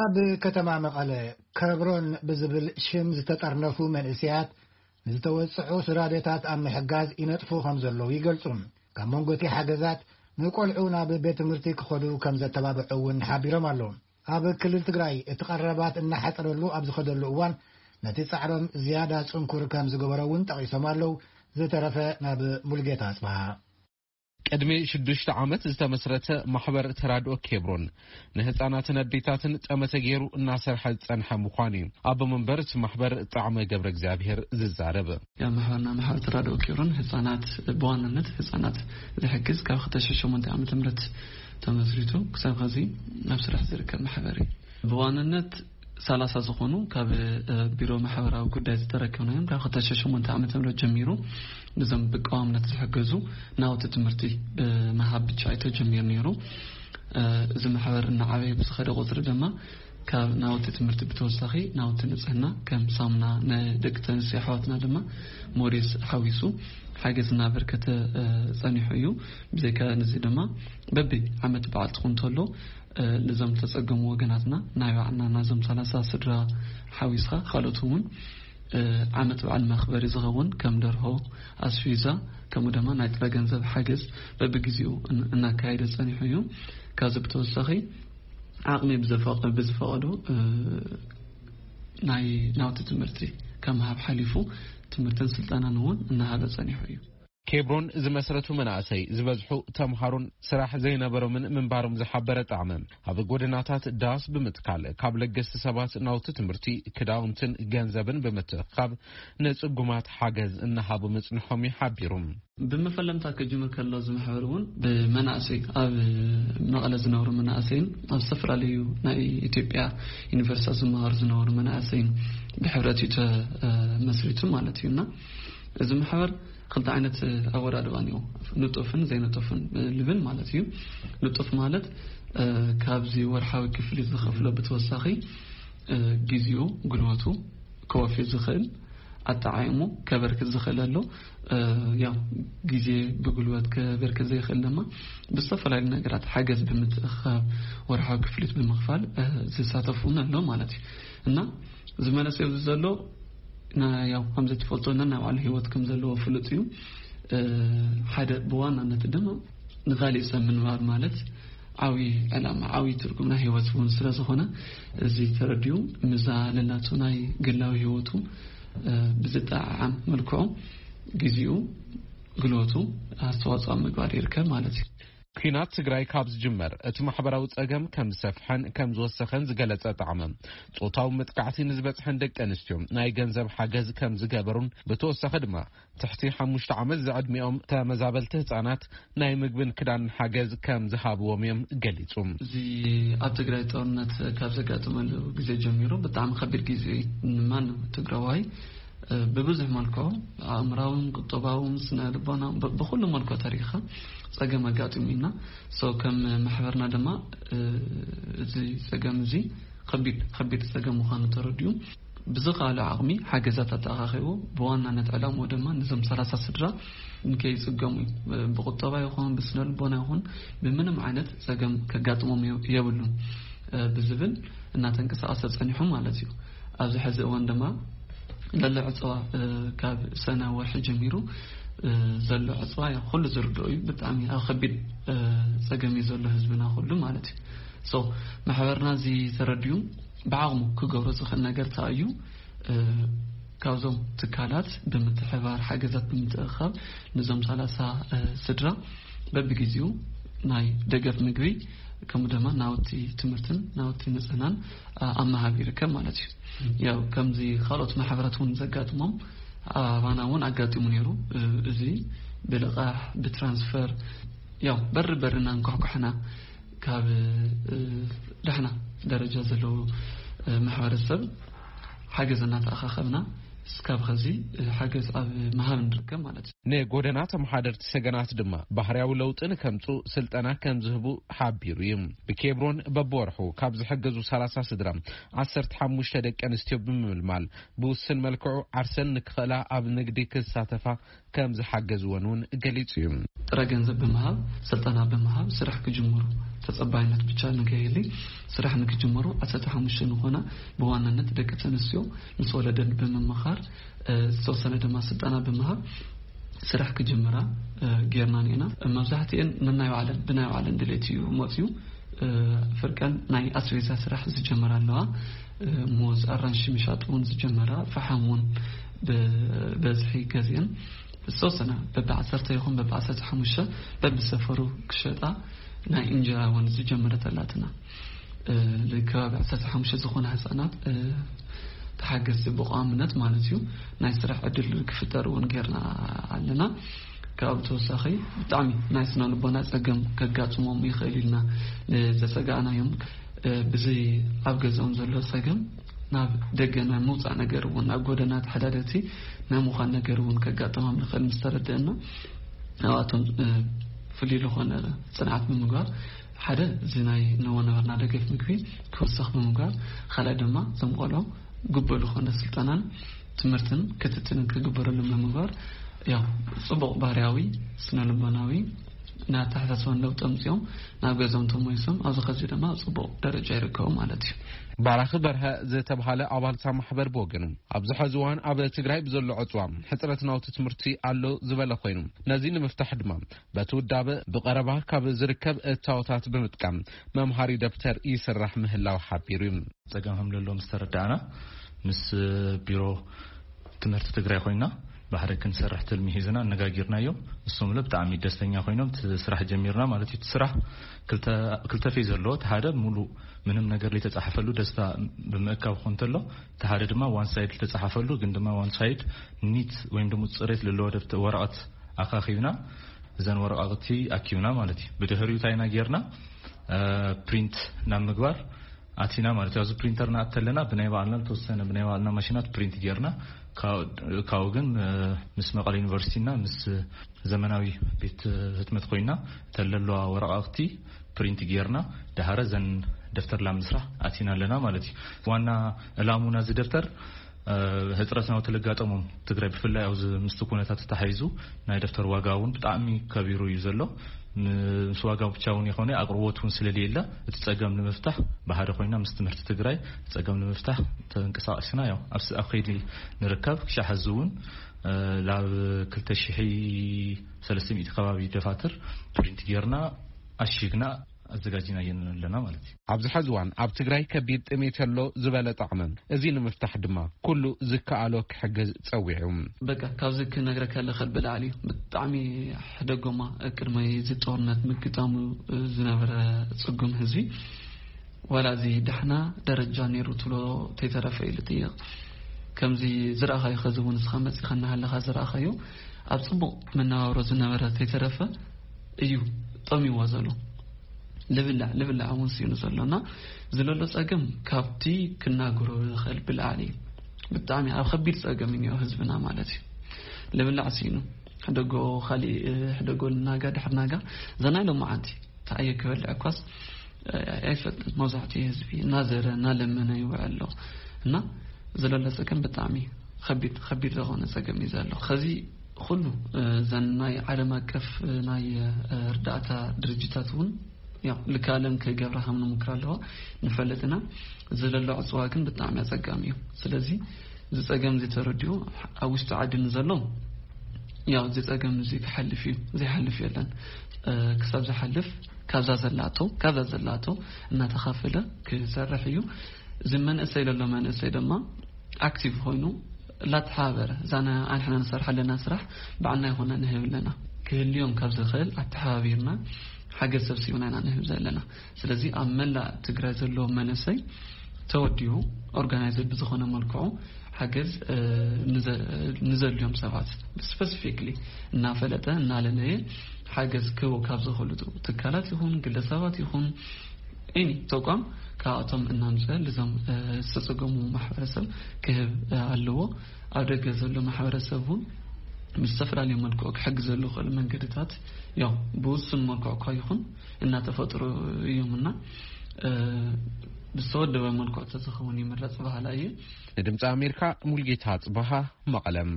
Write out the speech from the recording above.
ኣብ ከተማ መቐለ ከብሮን ብዝብል ሽም ዝተጠርነፉ መንእሰያት ንዝተወጽዑ ስራዴታት ኣብ ምሕጋዝ ይነጥፉ ከም ዘለዉ ይገልጹ። ካብ መንጎቲ ሓገዛት ንቆልዑ ናብ ቤት ትምህርቲ ክኸዱ ከም ዘተባብዑ እውን ሓቢሮም ኣለዉ። ኣብ ክልል ትግራይ እቲ ቀረባት እናሓጸረሉ ኣብ ዝኸደሉ እዋን ነቲ ጻዕሮም ዝያዳ ጽንኩር ከም ዝገበሮ እውን ጠቒሶም ኣለዉ። ዝተረፈ ናብ ሙልጌታ ኣጽብሃ። ቅድሚ ሽዱሽተ ዓመት ዝተመስረተ ማሕበር ተራድኦ ኬብሮን ንህፃናትን ኣዴታትን ጠመተ ገይሩ እናሰርሐ ዝፀንሐ ምዃኑ እዩ ኣቦ መንበር እቲ ማሕበር ጣዕመ ገብረ እግዚኣብሔር ዝዛረብ። ያ ማሕበርና ማሕበር ተራድኦ ኬብሮን ህፃናት ብዋናነት ህፃናት ዝሕግዝ ካብ ክልተ ሺሕ ሸሞንተ ዓመተ ምህረት ተመስሪቱ ክሳብ ኸዚ ናብ ስራሕ ዝርከብ ማሕበር እዩ። ብዋናነት ሰላሳ ዝኾኑ ካብ ቢሮ ማሕበራዊ ጉዳይ ዝተረከብናዮም ካብ ክልተ ሺሕ ሸሞንተ ዓመተ ምህረት ጀሚሩ ንዞም ብቀዋምነት ዝሕገዙ ናውቲ ትምህርቲ ብምሃብ ብቻ እዩ ተጀሚሩ ነይሩ። እዚ ማሕበር እናዓበየ ብዝኸደ ቁፅሪ ድማ ካብ ናውቲ ትምህርቲ ብተወሳኺ ናውቲ ንፅህና ከም ሳሙና ንደቂ ተንስዮ ኣሕዋትና ድማ ሞዴስ ሓዊሱ ሓገዝ እናበርከተ ፀኒሑ እዩ። ብዘይካ ንዚ ድማ በቢ ዓመት በዓል ትኹን ተሎ ንዞም ተጸገሙ ወገናትና ናይ ባዕልና ናዞም ሰላሳ ስድራ ሓዊስካ ካልኦት እውን ዓመት በዓል መኽበሪ ዝኸውን ከም ደርሆ ኣስፊዛ ከምኡ ድማ ናይ ጥረ ገንዘብ ሓገዝ በብግዜኡ እናካየደ ጸኒሑ እዩ። ካብዚ ብተወሳኺ ዓቕሚ ብዝፈቐዶ ናይ ናውቲ ትምህርቲ ከም ሃብ ሓሊፉ ትምህርትን ስልጠናን እውን እናሃበ ጸኒሑ እዩ። ኬብሮን ዝመስረቱ መናእሰይ ዝበዝሑ ተምሃሮን ስራሕ ዘይነበሮምን ምንባሮም ዝሓበረ ጣዕመ ኣብ ጎደናታት ዳስ ብምትካል ካብ ለገስቲ ሰባት ናውቲ ትምህርቲ ክዳውንትን ገንዘብን ብምትእኻብ ንጽጉማት ሓገዝ እናሃቡ ምጽንሖም ይሓቢሩ። ብመፈለምታ ክጅምር ከሎ ዝምሕበር እውን ብመናእሰይ ኣብ መቐለ ዝነብሩ መናእሰይን ኣብ ዝተፈላለዩ ናይ ኢትዮጵያ ዩኒቨርሲታት ዝመሃሩ ዝነበሩ መናእሰይን ብሕብረት እዩ ተመስሪቱ ማለት እዩና እዚ ማሕበር ክልተ ዓይነት ኣወዳድባ እኒኦ፣ ንጡፍን ዘይንጡፍን ልብል ማለት እዩ። ንጡፍ ማለት ካብዚ ወርሓዊ ክፍሊት ዝኸፍሎ ብተወሳኺ ግዜኡ፣ ጉልበቱ ከወፊ ዝኽእል ኣጠዓይሙ ከበርክት ዝኽእል ኣሎ። ያው ግዜ ብጉልበት ከበርክት ዘይኽእል ድማ ብዝተፈላለዩ ነገራት ሓገዝ ብምትእኻብ ወርሓዊ ክፍሊት ብምኽፋል ዝሳተፉ እውን ኣሎ ማለት እዩ። እና ዝመለስ ኣብዚ ዘሎ ያው ከም ዘትፈልጦ ነናይ ባዕሉ ህይወት ከም ዘለዎ ፍሉጥ እዩ። ሓደ ብዋናነት ድማ ንኻሊእ ሰብ ምንባር ማለት ዓብዪ ዕላማ ዓብዪ ትርጉም ናይ ህይወት እውን ስለ ዝኾነ እዚ ተረዲኡ ምዛ ለላቱ ናይ ግላዊ ህይወቱ ብዝጠዓዓም መልክዑ ግዜኡ ግልበቱ ኣስተዋፅኦ ኣብ ምግባር ይርከብ ማለት እዩ። ኲናት ትግራይ ካብ ዝጅመር እቲ ማሕበራዊ ጸገም ከም ዝሰፍሐን ከም ዝወሰኸን ዝገለጸ ጣዕመ ጾታዊ መጥቃዕቲ ንዝበጽሐን ደቂ ኣንስትዮ ናይ ገንዘብ ሓገዝ ከም ዝገበሩን ብተወሳኺ ድማ ትሕቲ ሓሙሽተ ዓመት ዝዕድሚኦም ተመዛበልቲ ህጻናት ናይ ምግብን ክዳንን ሓገዝ ከም ዝሃብዎም እዮም ገሊጹ። እዚ ኣብ ትግራይ ጦርነት ካብ ዘጋጠመሉ ግዜ ጀሚሩ ብጣዕሚ ከቢድ ግዜ እዩ። ንማንም ትግራዋይ ብብዙሕ መልክዑ ኣእምራውን ቁጠባውን ስነ ልቦና ብኩሉ መልክዑ ተሪኻ ጸገም ኣጋጢሙ ኢና። ሰው ከም ማሕበርና ድማ እዚ ጸገም እዚ ከቢድ ከቢድ ጸገም ምዃኑ ተረዲኡ ብዝኸኣለ ዓቕሚ ሓገዛት ኣተኣኻኺቡ ብዋናነት ዕላምኡ ድማ ንዞም ሰላሳ ስድራ ንከይጽገሙ እዩ። ብቁጠባ ይኹን ብስነ ልቦና ይኹን ብምንም ዓይነት ጸገም ከጋጥሞም የብሉን ብዝብል እናተንቀሳቐሰ ጸኒሑ ማለት እዩ። ኣብዚ ሕዚ እዋን ድማ ለሎ ዕፅዋ ካብ ሰነ ወርሒ ጀሚሩ ዘሎ ዕፅዋ ኩሉ ዝርድኦ እዩ። ብጣዕሚ ኣብ ከቢድ ፀገም እዩ ዘሎ ህዝብና ኩሉ ማለት እዩ። ማሕበርና እዚ ተረዲኡ ብዓቕሙ ክገብሮ ዝኽእል ነገር እንታይ እዩ? ካብዞም ትካላት ብምትሕባር ሓገዛት ብምትእኻብ ንዞም ሰላሳ ስድራ በብግዜኡ ናይ ደገፍ ምግቢ ከምኡ ድማ ናውቲ ትምህርትን ናውቲ ንፅህናን ኣብ ምሃብ ይርከብ ማለት እዩ። ያው ከምዚ ካልኦት ማሕበራት እውን ዘጋጥሞም ኣባና እውን ኣጋጢሙ ነይሩ። እዚ ብልቓሕ ብትራንስፈር ያው በሪ በሪ እናንኳሕኳሕና ካብ ዳሕና ደረጃ ዘለዎ ማሕበረሰብ ሓገዝ እናተኣኻኸብና እስካብ ኸዚ ሓገዝ ኣብ ምሃብ ንርከብ ማለት እዩ። ንጎደና ተመሓደርቲ ሰገናት ድማ ባህርያዊ ለውጢ ንከምፁ ስልጠና ከም ዝህቡ ሓቢሩ እዩ። ብኬብሮን በብወርሑ ካብ ዝሕገዙ ሰላሳ ስድራ ዓሰርተ ሓሙሽተ ደቂ ኣንስትዮ ብምምልማል ብውስን መልክዑ ዓርሰን ንክኽእላ ኣብ ንግዲ ክሳተፋ ከም ዝሓገዝወን እውን ገሊጹ እዩ። ጥረ ገንዘብ ብምሃብ ስልጠና ብምሃብ ስራሕ ክጅምሩ ተጸባይነት ብቻ ንገይሊ ስራሕ ንክጅመሩ ዓሰርተ ሓሙሽተ ንኾና ብዋናነት ደቂ ተንስዮ ምስ ወለደን ብምምኻር ዝተወሰነ ድማ ስልጠና ብምሃብ ስራሕ ክጅምራ ጌርና ኔና። መብዛሕትኤን ንናይ ባዕለን ብናይ ባዕለን ድሌት እዩ መፅዩ። ፍርቀን ናይ ኣስቤዛ ስራሕ ዝጀመራ ኣለዋ። ሙዝ ኣራንሺ ምሻጥ እውን ዝጀመራ፣ ፈሓም እውን ብበዝሒ ገዚአን ዝተወሰነ በቢ ዓሰርተ ይኹን በቢ ዓሰርተ ሓሙሽተ በብሰፈሩ ክሸጣ ናይ እንጀራ እውን ዝጀመረት ኣላትና። ልከባቢ ዓሰርተ ሓሙሽተ ዝኾነ ህፃናት ተሓገዝቲ ብቋምነት ማለት እዩ ናይ ስራሕ ዕድል ክፍጠር እውን ጌርና ኣለና። ካብ ተወሳኺ ብጣዕሚ ናይ ስነ ልቦና ፀገም ከጋጥሞም ይኽእል ኢልና ንዘሰጋእናዮም ብዚ ኣብ ገዛኦም ዘሎ ፀገም ናብ ደገ ናይ ምውፃእ ነገር እውን ናብ ጎደና ተሓዳደርቲ ናይ ምዃን ነገር እውን ከጋጥሞም ይኽእል ምስ ተረድእና ኣብኣቶም ፍልይ ዝኾነ ፅንዓት ብምግባር ሓደ እዚ ናይ ንወነበርና ደገፍ ምግቢ ክውሰኽ ብምግባር ካልኣይ ድማ ዘምቆሎ ግቡእ ዝኾነ ስልጠናን ትምህርትን ክትትልን ክግበረሎም ንምግባር ያው ፅቡቕ ባህርያዊ ስነ ልቦናዊ ናይ ኣተሓሳስባን ለውጢ ኣምፅኦም ናብ ገዞም ተመይሶም ኣብዚ ከዚ ድማ ኣብ ፅቡቕ ደረጃ ይርከቡ ማለት እዩ። ባራኺ በርሀ ዝተባሃለ ኣባልታ ማሕበር ብወገኑ ኣብዚ ሐዚ እዋን ኣብ ትግራይ ብዘሎ ዕፅዋ ሕፅረት ናውቲ ትምህርቲ ኣሎ ዝበለ ኮይኑ ነዚ ንምፍታሕ ድማ በቲ ውዳበ ብቐረባ ካብ ዝርከብ እታወታት ብምጥቃም መምሃሪ ደብተር ይስራሕ ምህላው ሓቢሩ እዩ። ፀገም ከም ዘለዎ ምስ ተረዳእና ምስ ቢሮ ትምህርቲ ትግራይ ኮይና ብሓደ ክንሰርሕ ትልሚ ሒዝና ኣነጋጊርናዮም። እሶም ብጣዕሚ ደስተኛ ኮይኖም እቲ ስራሕ ጀሚርና ማለት እዩ። እቲ ስራሕ ክልተ ፌዝ ኣለዎ። እቲ ሓደ ሙሉ ምንም ነገር ዘይተፃሓፈሉ ደስታ ብምእካብ ክኾን እንተሎ እቲ ሓደ ድማ ዋን ሳይድ ዝተፃሓፈሉ ግን ድማ ዋን ሳይድ ኒት ወይም ደግሞ ፅሬት ዘለዎ ወረቐት ኣኻኺብና እዘን ወረቓቕቲ ኣኪብና ማለት እዩ። ብድሕሪኡ እንታይ ኢና ጌርና ፕሪንት ናብ ምግባር ኣቲና ማለት እዩ። ኣብዚ ፕሪንተር ንኣት ተለና ብናይ ባዕልና ዝተወሰነ ብናይ ባዕልና ማሽናት ፕሪንት ጌርና ካብኡ ግን ምስ መቐለ ዩኒቨርሲቲና ምስ ዘመናዊ ቤት ህትመት ኮይና ተለለዋ ወረቓቕቲ ፕሪንት ጌርና ደሃረ ዘን ደፍተር ላብ ምስራሕ ኣቲና ኣለና ማለት እዩ። ዋና ዕላሙና እዚ ደፍተር ህፅረት ናውቲ ለጋጠሞም ትግራይ ብፍላይ ኣብዚ ምስቲ ኩነታት ተታሓይዙ ናይ ደፍተር ዋጋ እውን ብጣዕሚ ከቢሩ እዩ ዘሎ። ምስ ዋጋ ብቻ እውን ይኾነ ኣቅርቦት እውን ስለለየለ እቲ ፀገም ንምፍታሕ ብሓደ ኮይና ምስ ትምህርቲ ትግራይ ፀገም ንምፍታሕ ተንቀሳቀስና ያው ኣብ ከይዲ ንርከብ ክሻ ሐዚ እውን ላብ ክልተ ሽሕ ሰለስተ ሚእቲ ከባቢ ደፋትር ፕሪንት ጌርና ኣሽግና ኣዘጋጅና የን ኣለና ማለት እዩ። ኣብዚ ሐዚ እዋን ኣብ ትግራይ ከቢድ ጥሜት ኣሎ ዝበለ ጣዕመ እዚ ንምፍታሕ ድማ ኩሉ ዝከኣሎ ክሕግዝ ፀዊዑ። በቃ ካብዚ ክነግረካ ለኸል ብላዕሊ እዩ። ብጣዕሚ ሕደጎማ ቅድሚ እዚ ጦርነት ምግጣሙ ዝነበረ ፅጉም ህዝቢ ዋላ እዚ ዳሕና ደረጃ ነይሩ ትብሎ ተይተረፈ ኢሉ ጥየቕ ከምዚ ዝረኣኻዮ ኸዚ እውን ንስኻ መፂኻ እናሃለኻ ዝረኣኻዮ ኣብ ፅቡቕ መነባብሮ ዝነበረ ተይተረፈ እዩ ጠሚዎ ዘሎ። ልብላዕ ልብላዕ እውን ስኢኑ ዘሎ እና ዝለሎ ፀገም ካብቲ ክናገሮ ዝኽእል ብላዕሊ እዩ። ብጣዕሚ ኣብ ከቢድ ፀገም እኒኦ ህዝብና ማለት እዩ። ልብላዕ ስኢኑ ሕደጎ ካሊእ ሕደጎ ልናጋ ድሕር ናጋ ዘናይ ሎማዓንቲ ተኣየ ክበልዕ እኳስ ኣይፈልጥን። መብዛሕትኡ ህዝቢ እናዘረ እናለመነ ይውዕል ኣሎ እና ዝለሎ ፀገም ብጣዕሚ ከቢድ ከቢድ ዝኾነ ፀገም እዩ ዘሎ። ከዚ ኩሉ እዘን ናይ ዓለም ኣቀፍ ናይ እርዳእታ ድርጅታት እውን ያው ልካለም ክገብራ ከም ንሙክር ኣለዋ ንፈልጥ ኢና። ዝለሎ ዕፅዋ ግን ብጣዕሚ ኣፀጋሚ እዩ። ስለዚ እዚ ፀገም እዚ ተረዲኡ ኣብ ውሽጢ ዓዲ ንዘሎ ያው እዚ ፀገም እዚ ክሓልፍ እዩ፣ ዘይሓልፍ የለን። ክሳብ ዝሓልፍ ካብዛ ዘላቶ ካብዛ ዘላቶ እናተኻፈለ ክሰርሕ እዩ። እዚ መንእሰይ ለሎ መንእሰይ ድማ ኣክቲቭ ኮይኑ ላተሓባበረ እዛ ኣንሕና ንሰርሕ ኣለና ስራሕ ባዕልና ይኾና ንህብ ኣለና። ክህልዮም ካብ ዝኽእል ኣተሓባቢርና ሓገዝ ሰብሲብና ኢና ንህብ ዘለና። ስለዚ ኣብ መላእ ትግራይ ዘሎ መንእሰይ ተወዲቡ ኦርጋናይዝድ ብዝኾነ መልክዑ ሓገዝ ንዘልዮም ሰባት ስፐሲፊክሊ እናፈለጠ እናለለየ ሓገዝ ክህቦ ካብ ዝኽእሉ ትካላት ይኹን ግለሰባት ይኹን ኤኒ ተቋም ካብኣቶም እናምፀ ልዞም ዝተፀገሙ ማሕበረሰብ ክህብ ኣለዎ። ኣብ ደገ ዘሎ ማሕበረሰብ እውን ብዝተፈላለዩ መልክዑ ክሕግዘሉ ክእል መንገድታት ያው ብውሱን መልክዑ እኳ ይኹን እናተፈጥሩ እዮም እና ብዝተወደበ መልክዑ ተዝኸውን ይምረፅ ባህላ እየ። ንድምፂ ኣሜሪካ ሙልጌታ ፅባሃ መቐለም።